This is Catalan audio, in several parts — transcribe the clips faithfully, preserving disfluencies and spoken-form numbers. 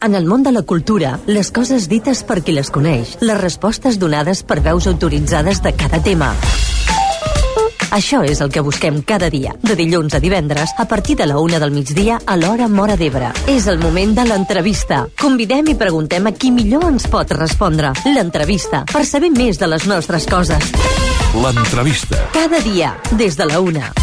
En el món de la cultura, les coses dites per qui les coneix, les respostes donades per veus autoritzades de cada tema. Això és el que busquem cada dia, de dilluns a divendres, a partir de la una del migdia a l'hora Móra d'Ebre. És el moment de l'entrevista. Convidem i preguntem a qui millor ens pot respondre. L'entrevista, per saber més de les nostres coses. L'entrevista. Cada dia, des de la una.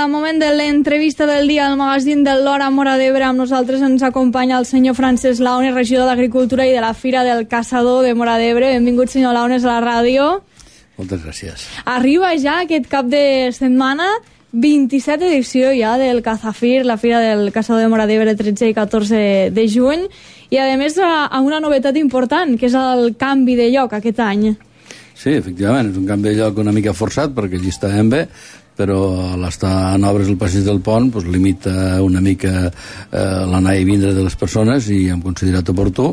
Moment de l'entrevista del dia al magazín de l'Hora Móra d'Ebre. Amb nosaltres ens acompanya el senyor Francesc Launes, regidor d'Agricultura i de la Fira del Caçador de Móra d'Ebre. Benvingut, senyor Launes, a la ràdio. Moltes gràcies. Arriba ja aquest cap de setmana, vint-i-set edició ja del Cazafir, la Fira del Caçador de Móra d'Ebre, tretze i catorze de juny, i a més amb una novetat important, que és el canvi de lloc aquest any. Sí, efectivament, és un canvi de lloc una mica forçat, perquè allí estàvem bé, però a l'estar en obres el passeig del pont doncs, limita una mica eh, l'anar i vindre de les persones, i hem considerat oportú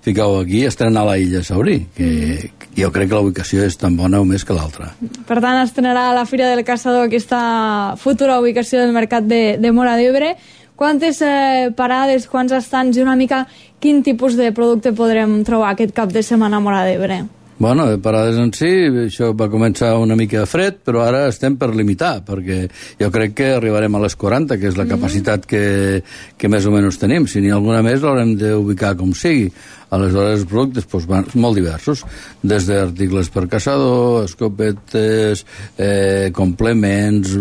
ficar-ho aquí, estrenar la Illa Saurí, que mm. jo crec que la ubicació és tan bona o més que l'altra. Per tant, estrenarà la Fira del Caçador aquesta futura ubicació del mercat de, de Móra d'Ebre. Quantes eh, parades, quants estants i una mica quin tipus de producte podrem trobar aquest cap de setmana a Móra d'Ebre? Bueno, de parades en si, això va començar una mica fred, però ara estem per limitar, perquè jo crec que arribarem a les quaranta, que és la capacitat que, que més o menys tenim. Si n'hi ha alguna més, l'haurem d'ubicar com sigui. Aleshores, els productes doncs, van molt diversos, des d'articles per caçador, escopetes, eh, complements,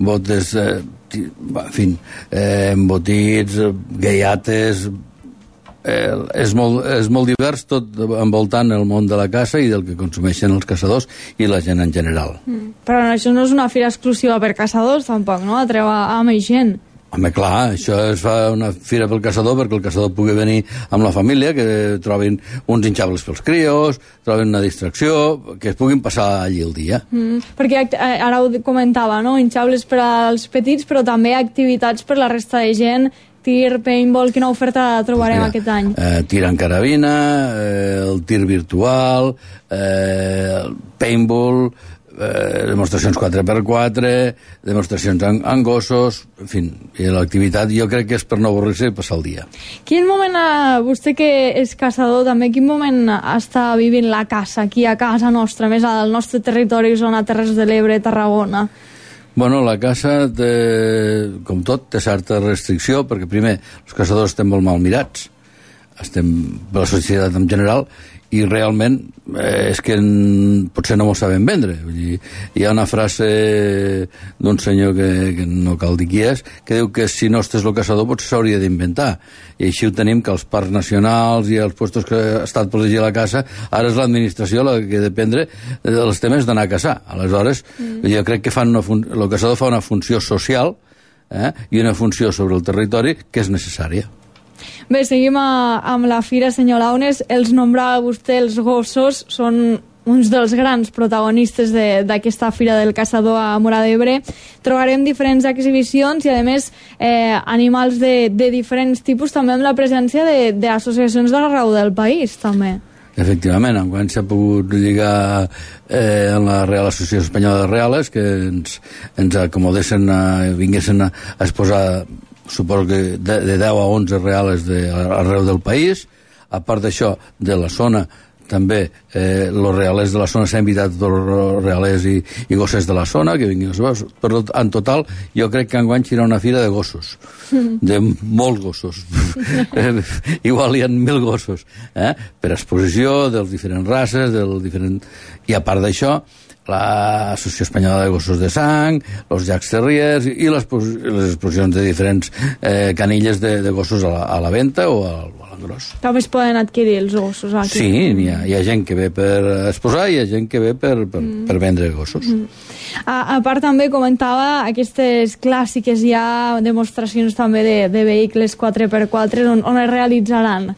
botes, eh, en fi, eh, embotits, gaiates. Eh, és, molt, és molt divers, tot envoltant el món de la caça i del que consumeixen els caçadors i la gent en general. Mm. Però això no és una fira exclusiva per caçadors, tampoc, no? Atreu a, a més gent. Home, clar, això es fa una fira pel caçador perquè el caçador pugui venir amb la família, que trobin uns hinxables pels crios, trobin una distracció, que es puguin passar allí el dia. Mm, perquè ara ho comentava, no? Hinxables per als petits, però també activitats per la resta de gent, tir, paintball, quina oferta trobarem Mira, aquest any? Eh, tir en carabina, eh, el tir virtual, eh, el paintball, eh, demostracions quatre per quatre, demostracions en, en gossos, en fi, l'activitat jo crec que és per no avorrir-se i passar el dia. Quin moment, eh, vostè que és caçador també, quin moment està vivint la caça aquí a casa nostra, més al nostre territori, zona Terres de l'Ebre, Tarragona? Bueno, la caça, té, com tot, té certa restricció, perquè primer, els caçadors estem molt mal mirats, estem per la societat en general, i realment eh, és que en, potser no m'ho saben vendre. Vull dir, hi ha una frase d'un senyor que, que no cal dir qui és, que diu que si no estàs el caçador potser s'hauria d'inventar. I així ho tenim, que els parcs nacionals i els puestos que ha estat protegir la caça, ara és l'administració la que dependre dels temes d'anar a caçar. Aleshores, mm. jo crec que fan una fun- el caçador fa una funció social eh, i una funció sobre el territori que és necessària. Bé, seguim a, amb la fira, senyor Launes. Els nombrava vostè, els gossos són uns dels grans protagonistes d'aquesta fira del caçador a Móra d'Ebre. Trobarem diferents exhibicions i, a més, eh, animals de, de diferents tipus, també amb la presència d'associacions d'arreu del país, també. Efectivament, enguany s'ha pogut lligar eh, en la Real Associació Espanyola de Reales, que ens, ens acomodessin, a, vinguessin a, a exposar, suposo que de, de deu a onze reales de, arreu del país. A part d'això, de la zona, també eh, los reales de la zona s'han invitat tots els reales i, i gossers de la zona que vinguin a saber. Però en total jo crec que enguany serà una fira de gossos, de molts gossos. Igual hi ha mil gossos, eh? Per exposició dels diferents races, del diferent... i a part d'això l'Associació Espanyola de Gossos de Sang, els Jacques Terriers i les, les exposicions de diferents eh, canilles de, de gossos a la, a la venda o al, a l'engròs. També es poden adquirir els gossos aquí. Sí, hi ha, hi ha gent que ve per exposar i hi ha gent que ve per, per, mm. per vendre gossos. Mm. A, a part també comentava aquestes clàssiques, hi ha demostracions també de, de vehicles quatre per quatre on, on es realitzaran?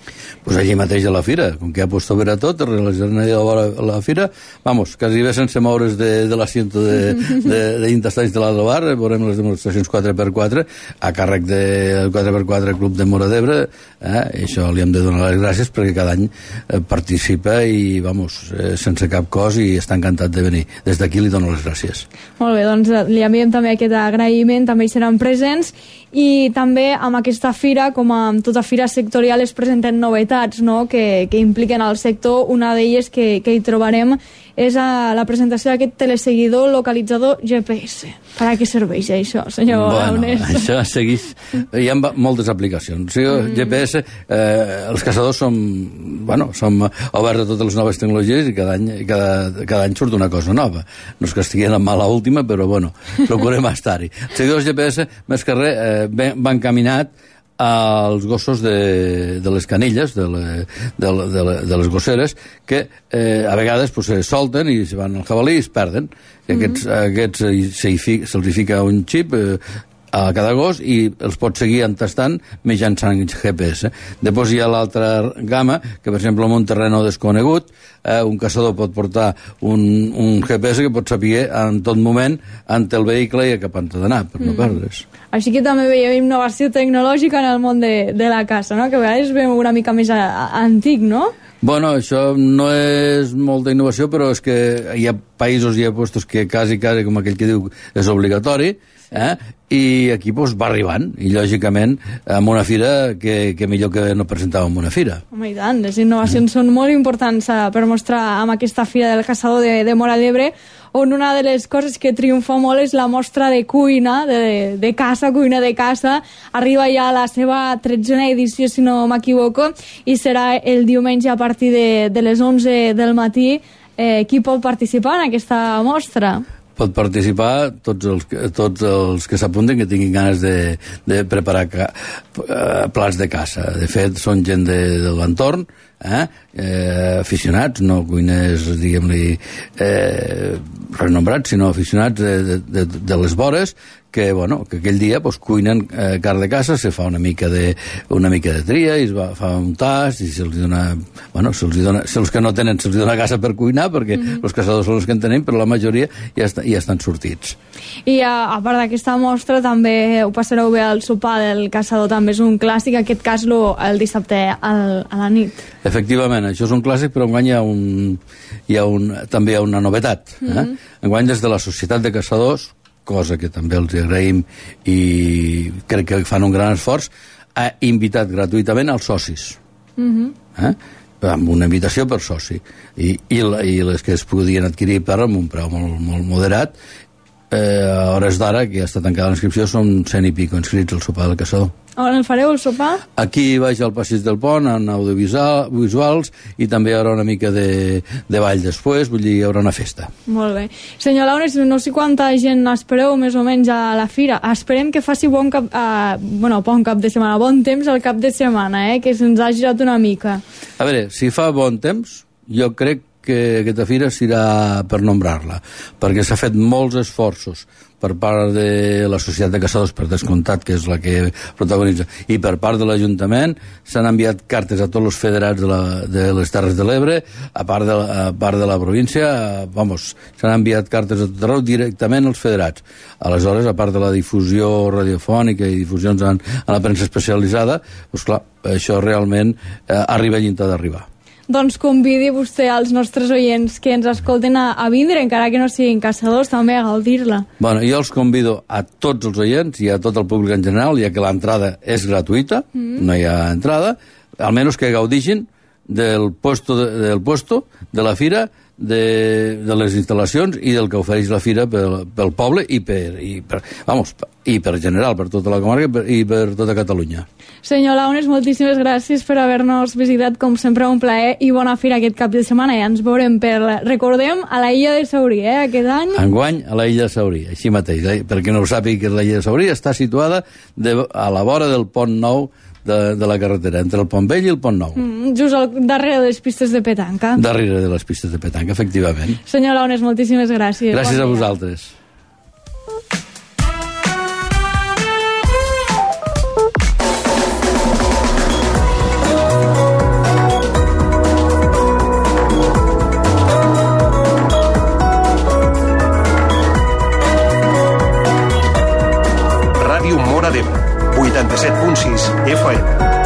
Pues allí mateix a la fira, com que ja pots veure tot, es realitzaran allà a la, la fira, vamos, quasi bé sense moure's de, de l'assiento de, de, de intestants de l'Aldo Bar, veurem les demostracions quatre per quatre a càrrec del quatre per quatre Club de Móra d'Ebre, eh? I això li hem de donar les gràcies perquè cada any eh, participa i, vamos, eh, sense cap cos i està encantat de venir. Des d'aquí li dono les gràcies. Molt bé, doncs li enviem també aquest agraïment, també hi seran presents i també amb aquesta fira, com amb tota fira sectorial, es presenten novetats, no?, que, que impliquen al sector. Una d'elles que, que hi trobarem és a la presentació d'aquest teleseguidor localitzador G P S. Per a què serveix això, senyor Launes? Bueno, això segueix... Hi ha moltes aplicacions. O sigui, mm. G P S, eh, els caçadors som, bueno, som oberts a totes les noves tecnologies i cada any, cada, cada any surt una cosa nova. No és que estiguin amb mala última, però bueno, procurem estar-hi. Els seguidors G P S, més que res, eh, van caminat als gossos de, de les canilles, de, le, de, de, de les gosseres, que eh, a vegades pues, se solten i se van al jabalí i es perden. I aquests, mm-hmm. aquests se'ls se fica un xip eh, a cada gos i els pot seguir entastant mitjançant G P S. Després hi ha l'altra gamma, que per exemple en un terreny desconegut, eh, un caçador pot portar un, un G P S que pot saber en tot moment ante el vehicle i a cap han d'anar, per no mm. perdre's. Així que també veiem innovació tecnològica en el món de, de la caça, no? Que a vegades veiem una mica més a, a, antic, no? Bueno, això no és molta innovació, però és que hi ha països i ha puestos que quasi, quasi, com aquell que diu, és obligatori, eh? I aquí pues, va arribant, i lògicament amb una fira que, que millor que no presentàvem una fira. Home, i tant, les innovacions mm. són molt importants eh, per mostrar amb aquesta fira del caçador de, de Móra d'Ebre, on una de les coses que triomfa molt és la mostra de cuina, de, de caça, cuina de caça. Arriba ja a la seva tretzena edició, si no m'equivoco, i serà el diumenge a partir de, de les onze del matí. Eh, qui pot participar en aquesta mostra? Pot participar tots els, tots els que s'apunten que tinguin ganes de, de preparar ca, uh, plats de caça. De fet, són gent de, de l'entorn, eh? Eh, aficionats, no cuiners, diguem-li, eh, renombrats, sinó aficionats de, de, de, de les vores, que, bueno, que aquell dia pues, cuinen eh, carn de caça, se fa una mica de, una mica de tria i es va, fa un tast i se'ls dona, bueno, se'ls dona, si els que no tenen se'ls dona caça per cuinar, perquè mm-hmm. els caçadors són els que en tenim, però la majoria ja, està, ja estan sortits. I a, a part d'aquesta mostra també ho passareu bé al sopar del caçador, també és un clàssic, en aquest cas lo, el dissabte al, a la nit. Efectivament, això és un clàssic, però enguany hi ha, un, hi ha un, també hi ha una novetat. Eh? Mm-hmm. Enguany des de la Societat de Caçadors, cosa que també els agraïm i crec que fan un gran esforç, ha invitat gratuïtament els socis. Mm-hmm. eh? Amb una invitació per soci. I, i, i les que es podien adquirir per amb un preu molt, molt moderat, eh, a hores d'ara, que ja està tancada l'inscripció, són cent i pico inscrits al sopar del caçador. On el fareu, el sopar? Aquí baix al passeig del pont, en audiovisuals, i també hi haurà una mica de, de ball després, vull dir, hi haurà una festa. Molt bé. Senyor Launes, no sé quanta gent espereu més o menys a la fira. Esperem que faci bon cap, eh, bueno, bon cap de setmana, bon temps al cap de setmana, eh, que se'ns ha girat una mica. A veure, si fa bon temps, jo crec que aquesta fira serà per nombrar-la, perquè s'ha fet molts esforços per part de la Societat de Caçadors, per descomptat, que és la que protagonitza, i per part de l'Ajuntament s'han enviat cartes a tots els federats de, la, de les Terres de l'Ebre, a part de, la, a part de la província, vamos, s'han enviat cartes a tot arreu directament als federats. Aleshores, a part de la difusió radiofònica i difusions en, en la premsa especialitzada, doncs clar, això realment eh, arriba allà on ha d'arribar. Doncs convidi vostè als nostres oients que ens escolten a, a vindre, encara que no siguin caçadors, també a gaudir-la. Bueno, jo els convido a tots els oients i a tot el públic en general, ja que l'entrada és gratuïta, mm. no hi ha entrada, almenys que gaudixin del puesto de, del puesto, de la fira, de, de les instal·lacions i del que ofereix la fira pel, pel poble i per, i per, vamos, i per general, per tota la comarca i per, i per tota Catalunya. Senyor Launes, moltíssimes gràcies per haver-nos visitat, com sempre un plaer, i bona fira aquest cap de setmana. Ja ens veurem per, recordem, a la illa de Saurí, eh, aquest any. Enguany a la illa de Saurí, així mateix, eh? Perquè no ho sàpiga, que la illa de Saurí està situada de, a la vora del pont nou de, de la carretera, entre el Pont Vell i el Pont Nou. Mm, just al darrere de les pistes de petanca. Darrere de les pistes de petanca, efectivament. Senyor Launes, moltíssimes gràcies. Gràcies bon a vosaltres. Ràdio Móra d'Ebre, vuitanta-set punt sis F M.